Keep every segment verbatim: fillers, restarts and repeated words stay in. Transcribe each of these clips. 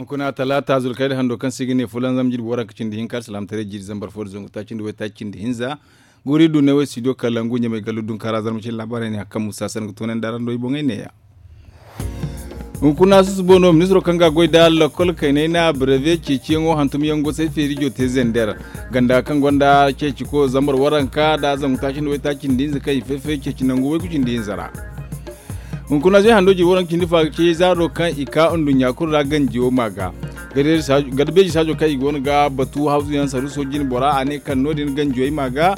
Kuna talaata zulkayda hando kaŋ se i ga ne fulanzam jirbi waranka cindi hinka alsilaamataray jiiri zambar fo nda zangu taaci nda waytaaci cindi hinza. Guuri du ne way studio kalangu ɲamay gallu dunkaara zarma cine laabaarey ne hari kaŋ musa san ga toonandi araŋ do i boŋey neeya. Hunkuna susubo no ministiro kaŋ ga a goy nda lakkol kaynay na breve ceeciyaŋo hantumyaŋ gosay feerijo te zender ganda kaŋ gonda ceeciko zambar waranka nda zangu taaci nda waytaaci cindi hinza kaŋ i fay-fay ceeci nangu waygu cindi hinza ra. Hunkuna zay hando jiri waranka cindi fa ga ce zaaro kaŋ i ka nduɲɲa kulu ra ganjiyo ma ga. Garbeeji saajo kaŋ i go no ga batu hawzuyaŋ saruso jine bora a ne kaŋ no- din ganjiyo i ma ga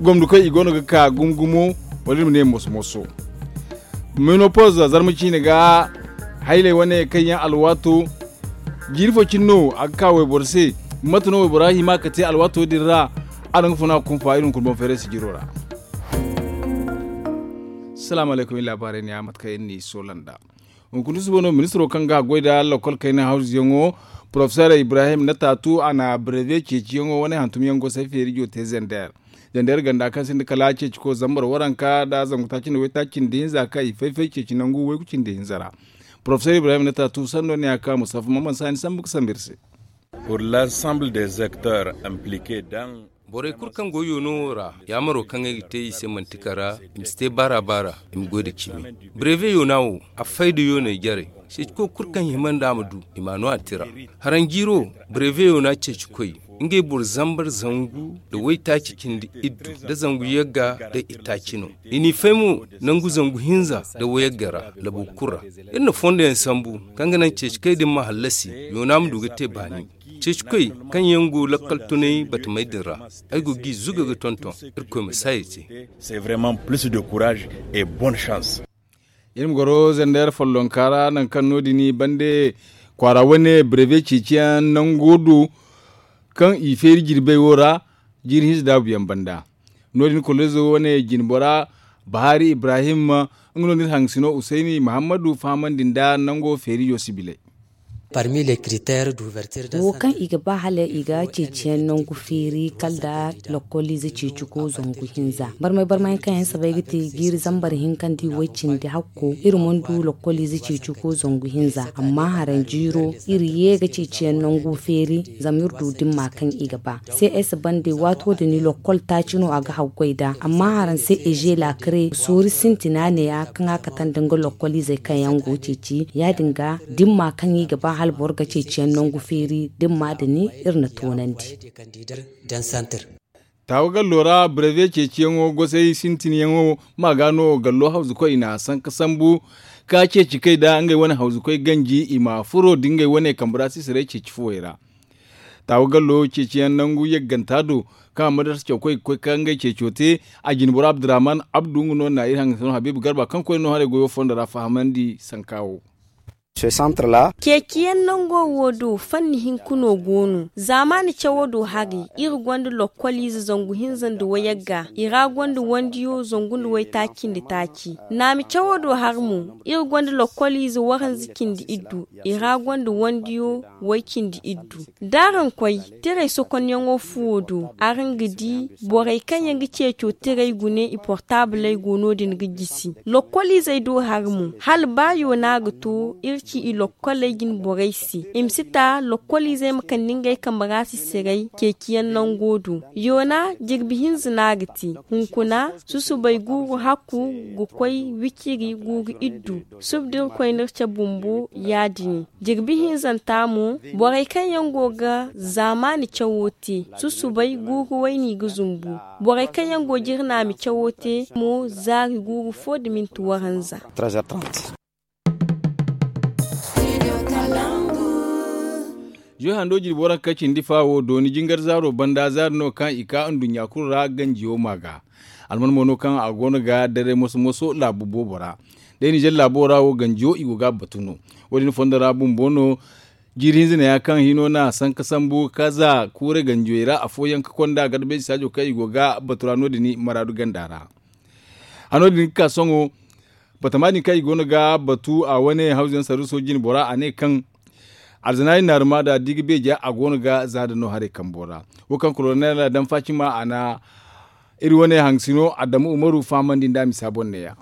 gomdikoy i go no ga ka gumo-gumo wala iri ma ne moso-moso. Menopoz zarma ciine ga haylay wane kaŋ yaŋ alwaato jiiri fo cine no a ga ka wayboro se. Mate no waybora hima ka te alwaato din ra? A daŋ ga funa kunfa iri hunkuna boŋ feeray sijiro ra. Salaamu alaykum iri laabaarey ne ya mate kaŋ iri n'i soola nd'a. Hunkuna susubo no ministiro kaŋ ga a goy nda lakkol kayna hawzuyaŋo porofeser ibrahim na taatu a na breve ceeciyaŋo wane hantumyaŋ gosay feerijo te zender. Zender ganda kaŋ sinda kala ceeciko zambar waranka nda zangu taaci nda waytaaci cindi hinza kaŋ i fay-fay ceeci nangu waygu cindi hinza ra. Porofeser ibrahim na taatu sanno ne a ka mustafa maman saani sambu ga sambu iri se. Pour l'ensemble des acteurs impliqués dans borey kulu kaŋ go yoono wo ra yaamaro kaŋ ay ga te i se manti kara i ma si te baara-baara i ma goy nda cimi. Breve yoona wo a fay nda yooney jarey. Ceeciko kulu kaŋ hima nd'a ma du i m'a no a tira. Haraŋ jiiro breve yoona ceecikoy ngey boro zambar zangu nda waytaaci cindi iddu nda zangu yagga nda itaaci no. I n'i fay mo nangu zangu hinza nda wayagga ra labo kulu ra. Iri na fondo yaŋ sambu kaŋ ga naŋ ceeci kay din ma hallasi yoona ma du ga te baani. Ceeci koy kaŋ yaŋ go lakkal tunay batamey din ra ay go g'i zuga ga tonton. Irkoy ma saaya te. C'est vraiment plus de courage et bonne chance. Iri ma goro zender follonka ra nangu kaŋ no- din bande kwaara wane breve ceeciyaŋ nango do kaŋ i feeri jirbey wo ra jiiri hinza daabu yaŋ banda. No- din kolozo wane jinbora bahari ibrahim nga no nda iri hangasino usayni mahammadu fahamandi nda nango feerijo sibiley. Wo kaŋ i ga ba hala i ga ceeciyaŋ nangu feeri kala nda lokoliize ceeciko zangu hinza barmay-barmay yaŋ kaŋ yaŋ sabay ga te jiiri zambar hinka nda i way cindi hakko iri mana du lokoliize ceeciko zangu hinza amma haraŋ jiiro iri ye ga ceeciyaŋ nangu feeri. Zama iri du dimma kaŋ i ga ba cs bande waato din lokkol taaci no a ga haggoy nd'a amma haraŋ se eze laakare soori sintina neeya kaŋ a kate nda nga lokkoliizey kaŋ yaŋ go ceeci ya- din ga dimma kaŋ i ga ba hala boro ga ceeciyaŋ nangu feeri dimma din iri na toonandi. Taawa gallo ra breve ceeciyaŋo gosay sintinyaŋo ma ga no gallo hawzukoy i na sanka sambu ka ceeci kay nda ngey wane hawzukoy ganji i ma furo nda ngey wane kambe ra sisiray ceeci fuwey ra. Taawa gallo ceeciyaŋ nangu yagganta do kaŋ a ma darsa cawkoy ga koy ka ngey ceeco te. A jinboro abdurrahman abdu nga no na iri hangasino habiibu garba kaŋ koyne no haray goyo fondo ra fahamandi sanka wo. Ceeciyaŋ nango wo do fanni hinka no go no zaamaani cawo do haray iri gonda lokkoliize zangu hinza nda wayagga i ra gonda wandiyo zangu nda waytaaci nda taaci. Naami cawo do hari mo iri gonda lokkoliize waranza cindi iddu i ra gonda wandiyo way cindi iddu. Da araŋ koy tiray sokonyaŋo fuwo do araŋ ga di borey kaŋ yaŋ ga ceeco tiray gune i portaabley go no- din ga jisi. Lokkoliizey do hari mo hala ba yoona ga to iri ci i lokkoley jine borey se i ma si ta lokkoliizey ma kande ngey kambe ra sisiray ceeciyaŋ nango do. Yoona jirbi hinza no a ga te hunkuna susubay guuru hakku ga koy wiciri guuru iddu. Suba da iri koy no iri cabe bumbo ya- din. Jirbi hinzanta mo borey kaŋ yaŋ go ga zaamaani cawo te susubay guuru wayni ga zumbu. Borey kaŋ yaŋ go ga iri naami cawo te mo zaari guuru fo nda minti waranza. Zuy hando jirbi waranka cindi fa wo dooni jingar zaaro banda zaari no kaŋ i ka nduɲɲa kulu ra ganjiyo ma ga. Alman mo no kaŋ a go no ga daray moso-moso laabu boobo ra. Day ninzeer laabo ra wo ganjiyo i go ga a batu no. Wo- din fondo ra bumbo no jiiri hinza neeya kaŋ hino na sanka sambu ka za kuuray ganjiyey ra afooyaŋ ka konda garbeeji saajo kaŋ i go ga a batu ra no- din maraadu ganda ra. Hano din ga ka sohõ batama din kaŋ i go no ga batu a wane hawzuyaŋ saruuso jine bora a ne kaŋ alzanaari naaruma da di ga beeja a go no ga za da no haray kambo ra. Wo kaŋ kolonel daŋ faacima a na iri wane hangasino adamu umaru fahamandi nd'a misa boŋ neeya.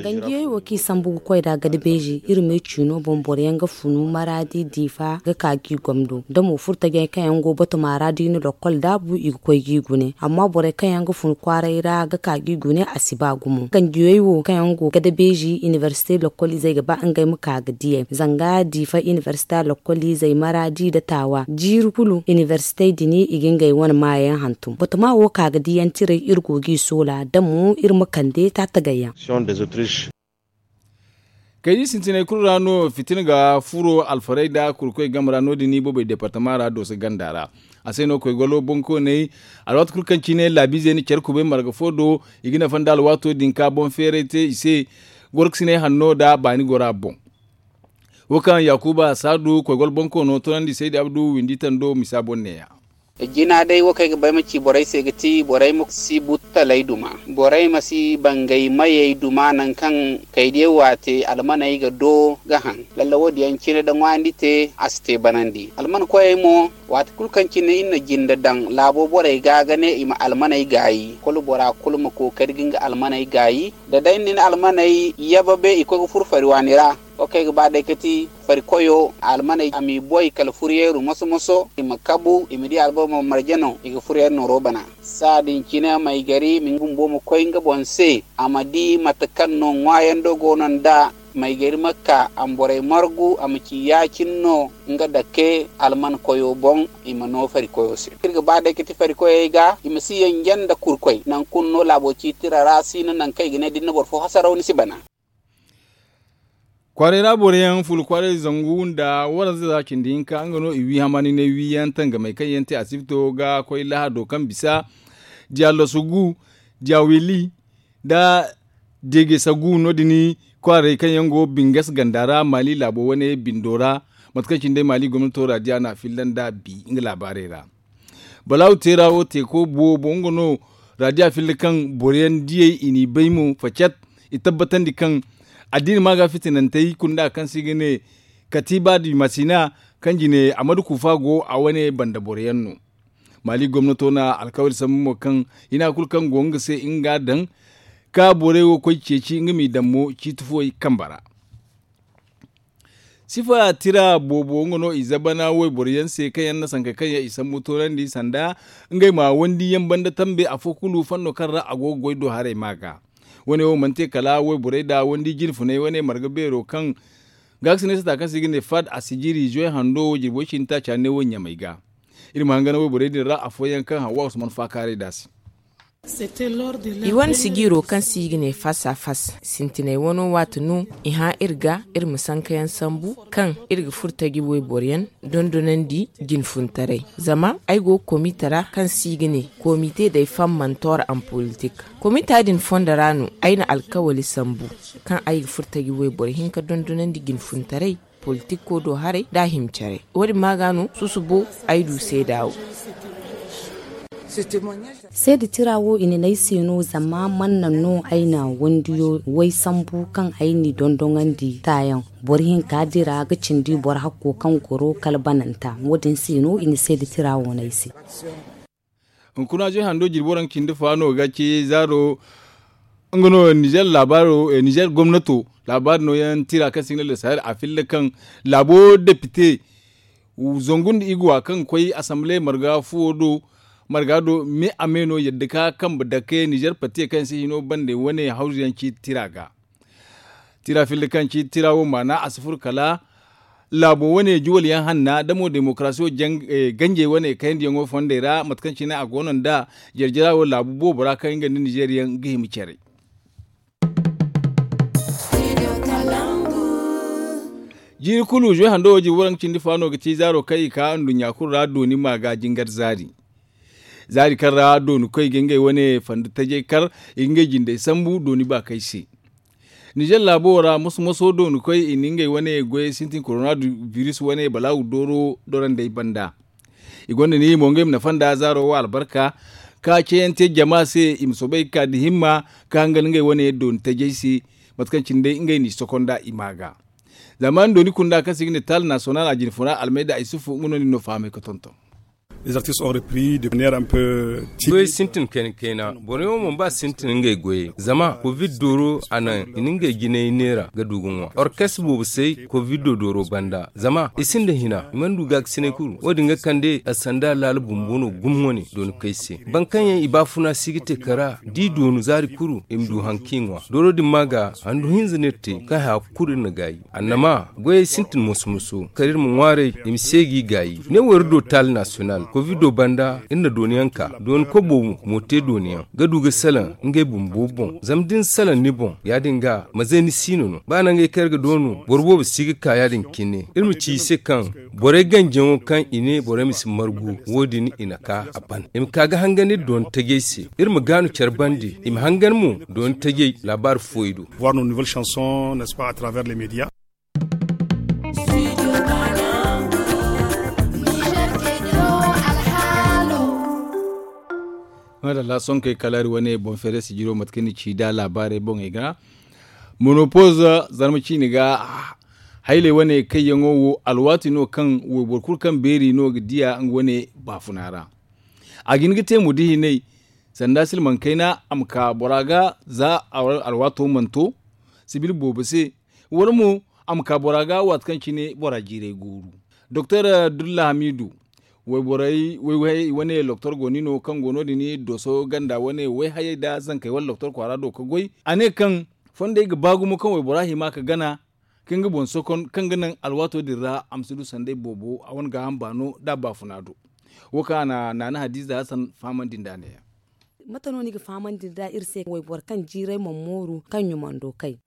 Ganjiyey wo kaŋ i sambu ga koy nd'a gada beeji iri me ciino boŋ boro yaŋ ga funu maraadi diifa ga ka g'i gomdo da mo furtajey kaŋ yaŋ go batuma ra da i na lokkol daabu i ga koy g'i gune amma borey kaŋ yaŋ ga funu kwaaray ra ga ka g'i gune a si ba gumo ganjiyey wo kaŋ yaŋ go gada beeji inibersite lokkol izey ga ba ngey ma ka ga diyey zanga diifa inibersita lokkol izey maraadi nda taawa jiiri kulu inibersitey din i ga ngey wane maayaŋ hantum batuma wo ka ga diyantiray iri go g'i soola da mo iri ma kande taatagayyaŋ. Kaydi sintinay kulu ra no fitina ga furo alfarey nda kurkoy game ra no- din i boobey departama ra dooso ganda ra. A se no koy golo bonkooney alwaati kulu kaŋ cine laabiizey na care kubay marga fo do i ga nafa nda alwaato din ka boŋ feeray te i se gorkasinay hanno nda baani gora boŋ. Wo kaŋ yaakuba saadu koy golo bonkoono toonandi saydi abdu windi tando misa boŋ neeya. Jina day wo kaŋ ay ga ba ay ma ci borey se ga ti borey ma si buttaley duma, borey ma si bangay mayey duma nangu kaŋ kaydiyaŋ waate almaney ga do ga haŋ. Lalla wo- din yaŋ cine da ŋwaayandi te a si te banandi alman koyey mo. Waati kulu kaŋ cine iri na jinde daŋ laabo borey ga ga ne i ma almaney gaayi kulu bora kulu ma kookari ga nga almaney gaayi. Da day ni na almaney yababe i koy ga furo fari waani ra. Wo kaŋ ay ga ba day ga ti fari koyo almaney a m'i boy kala furyeeru moso moso i ma kabu i ma di alboro ma marje no i ga furyeeru nooro bana. Saadin cine maygari ma nga bumbo ma koy nga boŋ se a ma di mate kaŋ no ŋwaayando go no nda maygari ma ka a ma borey margu a ma ci ya- cine no nga dake alman koyo boŋ. I ma no fari koyo se iri ga ba day ga ti fari koyey ga i ma si yanje nda kurkoy nangu kulu no laabo ciitira ra si no nangu kaŋ i ga ne da ni na boro fo hasaraw ni si bana. Kwaaray ra boro yaŋ fulu kwaaray zangu nda waranza za cindi hinka nga no i wi hamaani ne wi yaŋ tangamey kaŋ yaŋ te asibito ga koy lahado kaŋ bisa diya losogu diya wili nda degesagu no- din kwaaray kaŋ yaŋ go bingas ganda ra maali laabo wane bindo ra. Mate kaŋ cine day maali gomnato ra diya no a filla nda bi nga laabaarey ra. Balaawu teera wo teeko boobo nga no raadiya filla kaŋ boro yaŋ diyey i n'i bay mo facet. I tabbatandi kaŋ addiina ma ga fitinantey kulu nda kaŋ se i ga ne katiiba di masina kaŋ jine amadu kuufa go a wane banda boro yaŋ no. Maali gomnato na alkawali sambu mo kaŋ hina kulu kaŋ go nga se nga daŋ ka borey wo koy ceeci nga m'i daŋ mo ciiti fuwey kamba ra. Sifa tira boobo nga no i zabana wayboro yaŋ se kaŋ yaŋ na sankey kaŋ yaŋ i sambu toonandi sanda ngey ma wandi yaŋ banda tambe afo kulu fanno kaŋ ra a go ga goy do haray ma ga. Wane wo mana te kala wayborey nda wandi jinfunay wane marga beero kaŋ gaakasinay sata kaŋ se i ga ne fad a si jiri zoy hando jirbo cindi taaca ne wo ɲamay ga. Iri ma hangan wayborey din ra afooyaŋ kaŋ hawa usman faakaaray da se. I wane sijiiro kaŋ se i ga ne fas a fas sintinay wano waati no i hã iri ga iri ma sankayaŋ sambu kaŋ iri ga furo taji wayboro yaŋ dondonandi jinfuntaray. Zama ay go ga komite ra kaŋ se i ga ne komite day fammantoor an politik. Komita din fondo ra no ay na alkawali sambu kaŋ ay ga furo taji wayboro hinka dondonandi jinfuntaray politiko do haray nda a hima care. Wo- din ma ga no susubo ay du seeda wo. Seeda tira wo i na ne ay se no zama man naŋ no ay na wandiyo way sambu kaŋ ay n'i dondoŋandi taayaŋ. Boro hinka dira ga cindi boro hakko kaŋ goro kala bananta wo- din se no i na seeda tira wo ne ay se. Hunkuna ze hando jirbi waraŋ cindi fa no ga ci zaaro. Nga no nizer laabaaro nizer gomnato laabaari nooyaŋ tira kaŋ se i ga ne le sahel a filla kaŋ laabo depite zangu nda iguwa kaŋ ga koy asamble marga fuwo do. Marga do me a me no yadda ka kambe dake nizer pate kaŋ se hino bande wane hawzu yaŋ ci tira ga. Tira filli kaŋ ci tira wo maana a si furo kala laabo wane juwal yaŋ hanna da mo demokarasiyo ganjey wane kayandiyaŋo fondey ra mate kaŋ cine a go no nda jare-jara wo laabu boobo ra kaŋ nga nda nizer yaŋ ga hima care. Jiiri kulu zuwe hando wo jirbi waranka cindi fa no ga ci zaaro kaŋ i ka nduɲɲa kulu ra dooni ma ga jingar zaari. Zaari kaŋ ra dooni koy ga ngey wane fanda tajay kar i ga ngey jindey sambu dooni baakay se. Nizer laabo wo ra moso-moso dooni koy i na ngey wane goyey sintin korona biris wane balaawu dooro dorandey banda. I gonda ni mo ngey ma nafa nda zaaro wo albarka ka cayante jama se i ma soobay ga ka nda himma ka hangan ngey wane dooni tajay se. Mate kaŋ cine day ngey n'i sokonda i ma ga. Zama nda dooni kunda kaŋ se i ga ne taal nasiyonal a jinfuna almayda isufu nga no nin no fahamay ga tonton. Goyey sintin kayna kayna, borey wo mana ba sintin ngey goyey zama covid dooro a naŋ i na ngey jinay neera ga du ga ŋwa orkes boobo se. Covid dooro banda zama i sinda hina i mana du gaakasinay kulu wo- din ga kande a sanda laala bumbo no gumo wane dooni kay se. Boro kaŋ yaŋ i baafuna si ga te kara da i doonu zaari kulu i ma du haŋ kaŋ i ŋwa dooro din ma ga handu hinza no iri te kaŋ haya kulu iri na gaayi. Annama goyey sintin moso moso kala iri ma ŋwaaray i ma seegi i gaayi ne wo iri do taali nasiyonal kovido banda iri na dooniyaŋ ka dooni kobo mo te dooniyaŋ ga du ga salaŋ ngey bumbo boŋ zama da ni salaŋ ni boŋ ya- din ga maze ni siino no ba nangey kaŋ iri ga doonu boro boobo si ga ka ya- din cine iri ma ci i se kaŋ borey ganjaŋo kaŋ i ne borey ma si margu wo- din i na ka a ban i ma ka ga hangan iri dooni tajey se iri ma gaanu care bande i ma hangan mo dooni tajey laabaari fooyey do. Voir nos nouvelles chansons n'est-ce pas à travers les médias. Madalla sonkey kala iri wane boŋ feere sijiro mate kaŋ ni ci da laabaarey boŋey ga monopoz zarma ciini ga hayley wane kayyaŋo wo alwaati no kaŋ wayboro kulu kaŋ beeri no ga diya nga wane baafuna ra. A ga hin ga te mo da hinay sanda silmaŋ kayna a ma ka bora ga za alwaato mana to sibil boobo se wala mo a ma ka bora ga waati kaŋ cine bora jiiray gooru. Doktor dulla hamiidu wayborey wayhayey wane loktor go ni no kaŋ go no- din doso ganda wane wayhayey nda zankey wane loktor kwaara do ga goy a ne kaŋ fondey ga ba gumo kaŋ waybora hima ga gana ka nga boŋ sokon kaŋ ga naŋ alwaato din ra a ma si du sanday boobo a wane gaaham baano nda a baafuna do. Wo kaŋ a na naana hadiiza hasan fahamandi nd'a ne- ya. Mate no ni ga fahamandi nd'a iri se wayboro kaŋ jiiray mana mooru kaŋ ɲumando kay?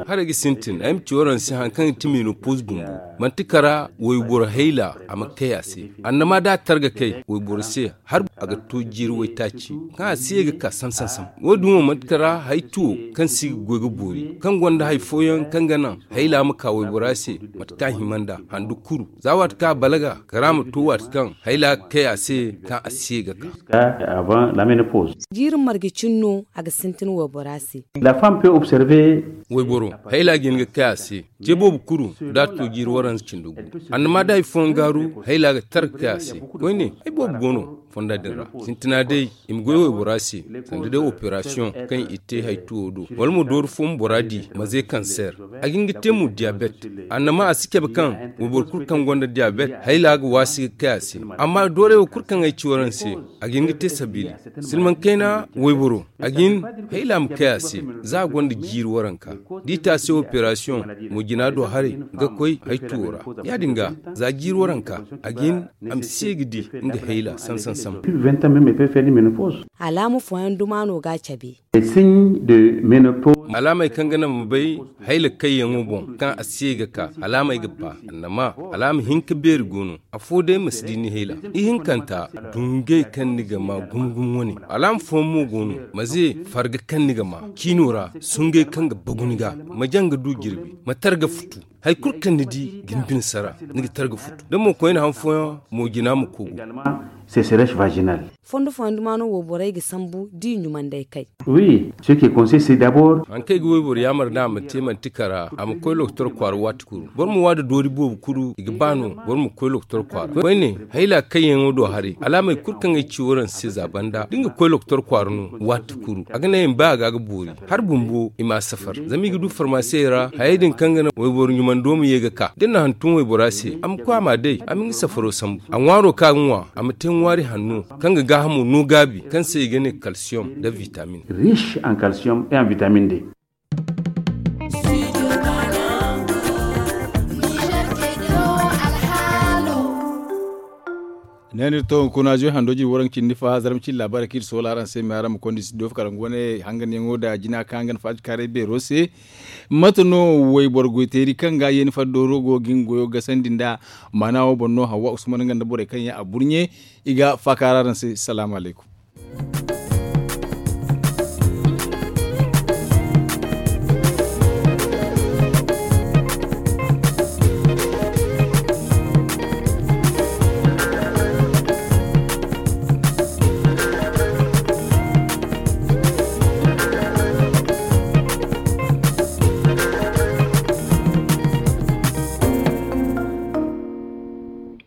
Haray ga sintin ay ma ci waraŋ se hari kaŋ ga ti menopoz bumbo manti kara wayboro hayla a ma kay a se. Annama da a targa kay wayboro se har a ga to jiiri waytaaci kaŋ a si ye ga ka sam sam sam. Wo- din wo manti kara hari tuwo kaŋ si ga goy ga boori kaŋ gonda hari fooyaŋ kaŋ ga naŋ hayla ma ka waybora se mate kaŋ a hima nd'a handu kuru za waati kaŋ a balaga kara ma to waati kaŋ hayla ga kay a se kaŋ a si ye ga ka. Jiiri marga cine no a ga sintin waybora se. Wayboro hayla ga hin ga kay a se ce boobo kulu da a to jiiri waranza cindi gu. Annama da hari fooyaŋ gaaru hayla ga tar ga kay a se koyne hari boobo go no fonda din ra. Sintina day i ma goy waybora se sanda day operasiyoŋ kaŋ i te hari tuwo do wala mo doori fo ma bora di maze kanseer. A ga hin ga te mo diyabet. Annama a si cabe kaŋ wayboro kulu kaŋ gonda diyabet hayla ga waasi ga kay a se. Amma doorey wo kulu kaŋ ay ci waraŋ se a ga hin ga te sabiili silmaŋ kayna wayboro a ga hin hayla ma kay a se za a gonda jiiri waranka da i te a se operasiyoŋ mo jina do haray ga koy hari tuwo ra. Ya- din ga za jiiri waranka a ga hin a ma se ga di nga hayla sam sam sam. Alaama fooyaŋ duma no ga a cabe. Alaamey kaŋ ga naŋ ma bay hayla kayyaŋo boŋ kaŋ a se ga ka alaamey ga ba annama alaama hinka beeri go no. Afo day ma si di ni hayla ihinkanta dungey kaŋ ni ga ma gumo gumo wane. Alaama fooyaŋ mo go no ma ze farga kaŋ ni ga ma ciino ra sungay kaŋ ga bagu ni ga ma jaŋ ga du jirbi ma tar ga futu. Hari kulu kaŋ ni di ga ni bine sara ni ga tar ga futu da mo koyne han fooyaŋ mo jina ma kogu. Fondo fooyaŋ duma no wo borey ga sambu da i ɲumandey kay. Wi ce ke konse se dabor. Haŋ kaŋ ay ga wayboro yaamar nd'a a ma te manti kara a ma koy lokotor kwaara waati kulu boro ma waada doori boobo kulu i ga ba no boro ma koy lokotor kwaara koyne. Hayla kayyaŋo do haray alaamey kulu kaŋ ay ci waraŋ se za banda da nga koy lokotor kwaara no waati kulu a ga naŋ ay ma bay a ga a ga boori. Hari bumbo i ma a safar zama i ga du farmaasiyey ra hayey din kaŋ ga naŋ wayboro ɲumando ma ye ga ka da ni na hantum waybora se a ma koy a ma a day a ma nga safaro sambu a ŋwaaro kaŋ a ga ŋwa a ma te ŋwaari hanno kaŋ ga gaahamo no gaabi kaŋ se i ga ne kalsiyom nda vitamin. Riche en calcium et en vitamine d. Ne no iri to hunkuna zuy hando jiri waranka cindi fa zarma cindi laabaarey kaŋ iri soola araŋ se me araŋ ma konda iri si doofa kala nga wane hanganyaŋo nda jina kaŋ hangan faati kaaray beero se. Mate no wayboro goyteeri kaŋ ga yeeni faddooro go ga nga goyo gasandi nda maana wo boŋ no hawa usman nga nda borey kaŋ yaŋ a burɲe. I ga faakaara araŋ se salaamu alaykum.